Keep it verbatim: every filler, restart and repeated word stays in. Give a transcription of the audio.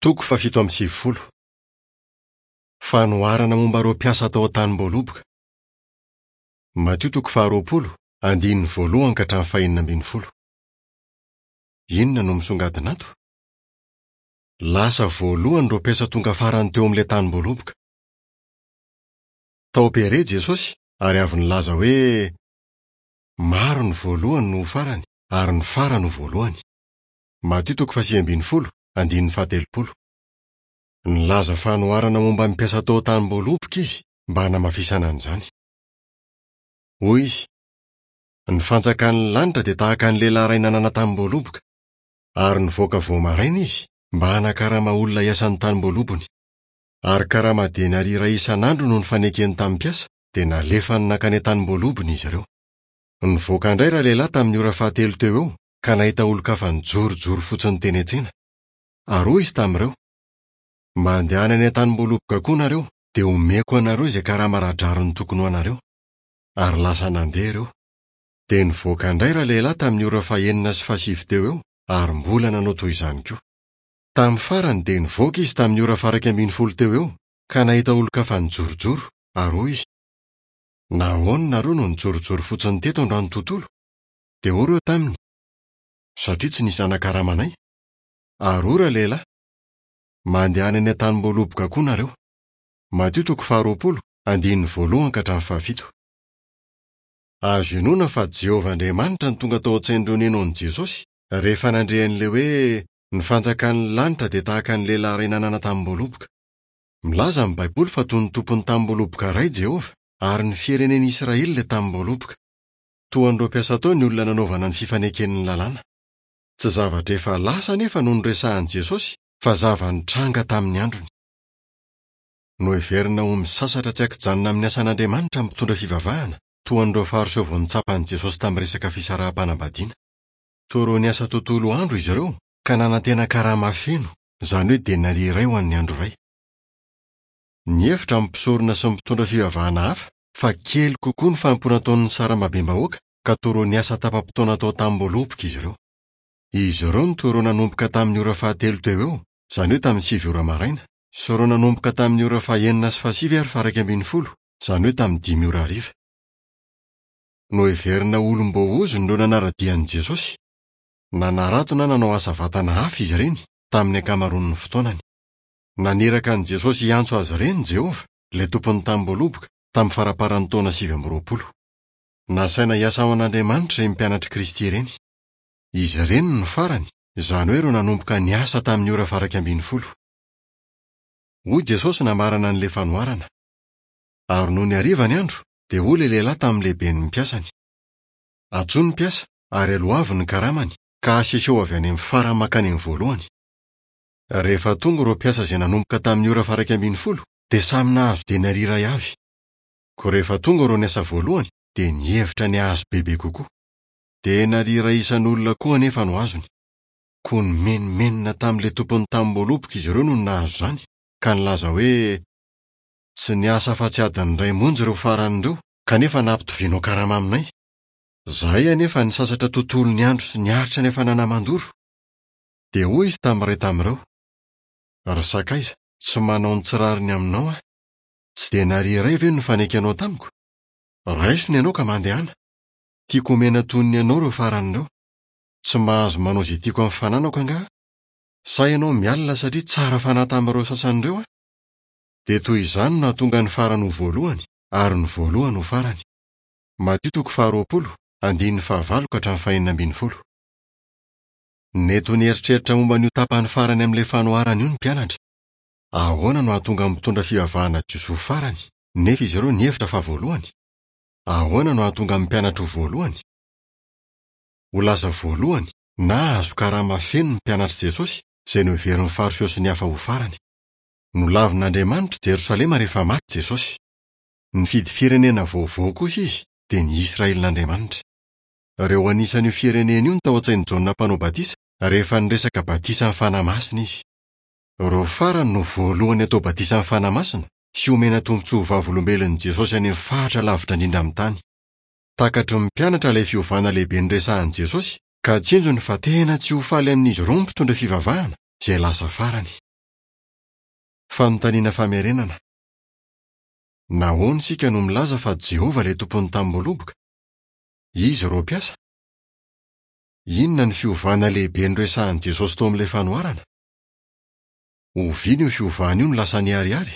Toko fahafito amby sivifolo. Fanoharana momba ireo mpiasa tao an-tanim-boaloboka. Matio toko faharoapolo, andininy voalohany ka hatramin'ny fahenina ambin'ny folo. Inona no misongadina ato? Lasa voalohany ireo mpiasa tonga farany teo amin'ilay tanim-boaloboka. Tao Pere Jesosy ary avy nilaza hoe maro ny voalohany no ho farany ary ny farany ho voalohany. Matio toko fahasivy ambin'ny folo, andininy fahatelopolo. Nilaza fanoharana momba ny mpiasa tao an-tanim-boaloboka izy mba hanamafisana an'izany. Hoy izy, ny fanjakan'ny lanitra dia tahaka ny lehilahy iray nanana tanim-boaloboka, ary nivoaka vao maraina izy mba hanakarama olona hiasa ny tanim-boalobony. Ary karama denaria iray isan'andro no nifanekeny tamin'ny mpiasa, dia nalefany nankany an-tanim-boalobony izy ireo. Nivoaka indray ralehilahy tamin'ny ora fahatelo teo eo ka nahita olon-kafa nijorojoro fotsiny teny an-tsena. Ary hoy izy tamin'ireo, mandehana any an-tanim-boaloboka koa nareo, dia omeko anareo izay karama ara-drariny tokony ho anareo. Ary lasa nandeha ireo. Dia nivoaka indray ralehilahy tamin'ny ora fahenina sy fahasivy teo eo ary mbola nanao toy izany koa. Tamin'ny farany dia nivoaka izy tamin'ny ora faha-iraika ambin'ny folo teo eo ka nahita olon-kafa nijorojoro ary hoy izy, nahoana nareo no nijorojoro fotsiny teto androany tontolo? Dia hoy ireo taminy, satria tsy nisy nanakaramanay. Ary hoy ralehilahy, mandehana any an-tanim-boaloboka koa nareo. Matio toko faharoapolo, andininy voalohany ka hatramin'ny fahafito. Azo inoana fa Jehovah Andriamanitra no tonga tao an-tsain'ireo nino an'i Jesosy rehefa nandre an'ilay hoe ny fanjakan'ny lanitra dia tahaka ny lehilahy iray nanana tanim-boaloboka. Milaza ny Baiboly fa toy ny tompon'ny tanim-boaloboka iray Jehovah ary ny firenen'Israely ilay tanim-boaloboka. Toa an'ireo mpiasa tao ny olona nanaovana ny fifaneken'ny lalàna. Tsy zavatra efa lasa anefa no noresahan'i Jesosy fa zava-nitranga tamin'ny androny. Noheverina ho misasatra tsy ankijanona amin'ny asan'Andriamanitra ny mpitondra fivavahana, toa an'ireo Fariseo vao nitsapan'i Jesosy tamin'ny resaka fisaraham-panambadiana. Toa ireo niasa tontolo andro izy ireo ka nanantena karama feno, izany hoe denaria iray ho an'ny andro iray. Nihevitra ny mpisorona sy ny mpitondra fivavahana hafa fa kely kokoa ny fanompoana ataon'ny sarambabem-bahoaka ka toa ireo niasa tapa-potoana tao an-tanim-boaloboka izy ireo. Izy ireo no toa ireo nanomboka tamin'ny ora fahatelo teo eo, izany hoe tamin'ny sivy ora maraina, sy ireo nanomboka tamin'ny ora fahenina sy fahasivy ary faha-iraika ambin'ny folo, izany hoe tamin'ny dimy ora hariva. Noheverina ho olom-boaozona ireo nanara-dia an'i Jesosy. Nanarato na nanao asa vatana hafa izy ireny tamin'ny ankamaroan'ny fotoanany. Naniraka an'i Jesosy hiantso azy ireny Jehovah, ilay tompon'ny tanim-boaloboka, tamin'ny faramparan'ny taona sivy amby roapolo. Nasaina hiasa ho an'Andriamanitra ireny mpianatr'i Kristy ireny. Izy ireny no farany, izany hoe ireo nanomboka niasa tamin'ny ora faha-iraika ambin'ny folo. Hoy Jesosy namarana an'ilay fanoharana. Ary nony hariva ny andro, dia hoy ilay lehilahy tamin'ny lehiben'ny mpiasany, antsoy ny mpiasa ary aloavy ny karamany ka aseseo avy any amin'ny farany mankany amin'ny voalohany. Rehefa tonga ireo mpiasa izay nanomboka tamin'ny ora faha-iraika ambin'ny folo, dia samy nahazo denaria iray avy. Koa rehefa tonga ireo niasa voalohany, dia nihevitra ny hahazo bebe kokoa. Denaria iray isan'olona koa anefa no azony. Koa nimenomenona tamin'ilay tompon'ny tanim-boaloboka izy ireo no nahazo izany, ka nilaza hoe, tsy niasa afa-tsy adiny iray monja ireo farany ireo, kanefa nampitovianao karama aminay. Izahay anefa nisasatra tontolo ny andro sy niaritra ny hafanana mandoro. Dia hoy izy tamin'ny iray tamin'ireo, ry sakaiza, tsy manao ny tsy rariny aminao aho. Tsy denaria iray ve no nifanekenao tamiko? Raiso ny anao ka mandehana. Tiako omena toy ny anao ireo farany ireo. Tsy mahazo manao izay tiako amin'ny fananako angaha? Sa ianao mialona satria tsara fanahy tamin'ireo sasany ireo aho? Dia toy izany no nahatonga ny farany ho voalohany ary ny voalohany ho farany. Matio toko faharoapolo, andininy fahavalo ka hatramin'ny fahenina ambin'ny folo. Nety ho nieritreritra momba an'io tapany farany amin'ilay fanoharana io ny mpianatra. Ahoana no hahatonga ny mpitondra fivavahana jiosy ho farany, nefa izy ireo nihevitra fa voalohany? Ahoana no hahatonga ny mpianatra ho voalohany? Ho lasa voalohany na hahazo karama feno ny mpianatr'i Jesosy, izay noheverin'ny Fariseo sy ny hafa ho farany. Nolavin'Andriamanitra Jerosalema rehefa maty Jesosy. Nifidy firenena vaovao kosa izy, dia ny Israelin'Andriamanitra. Ireo anisan'io firenena io no tao an-tsain'i Jaona mpanao batisa rehefa niresaka batisan'ny Fanahy Masina izy. Ireo farany no voalohany atao batisan'ny Fanahy Masina sy omena tombontsoa ho vavolombelon'i Jesosy any amin'ny faritra lavitra indrindra amin'ny tany. Takatry ny mpianatra ilay fiovana lehibe niresahan'i Jesosy ka tsinjony fa tena tsy ho faly amin'izy ireo ny mpitondra fivavahana izay lasa farany. Fanontaniana famerenana. Nahoana isika no milaza fa Jehovah ilay tompon'ny tanimboaloboka? Iza ireo mpiasa? Inona ny fiovana lehibe noresahin'i Jesosy tao amin'ilay fanoharana? Oviana io fiovana io no lasa niharihary?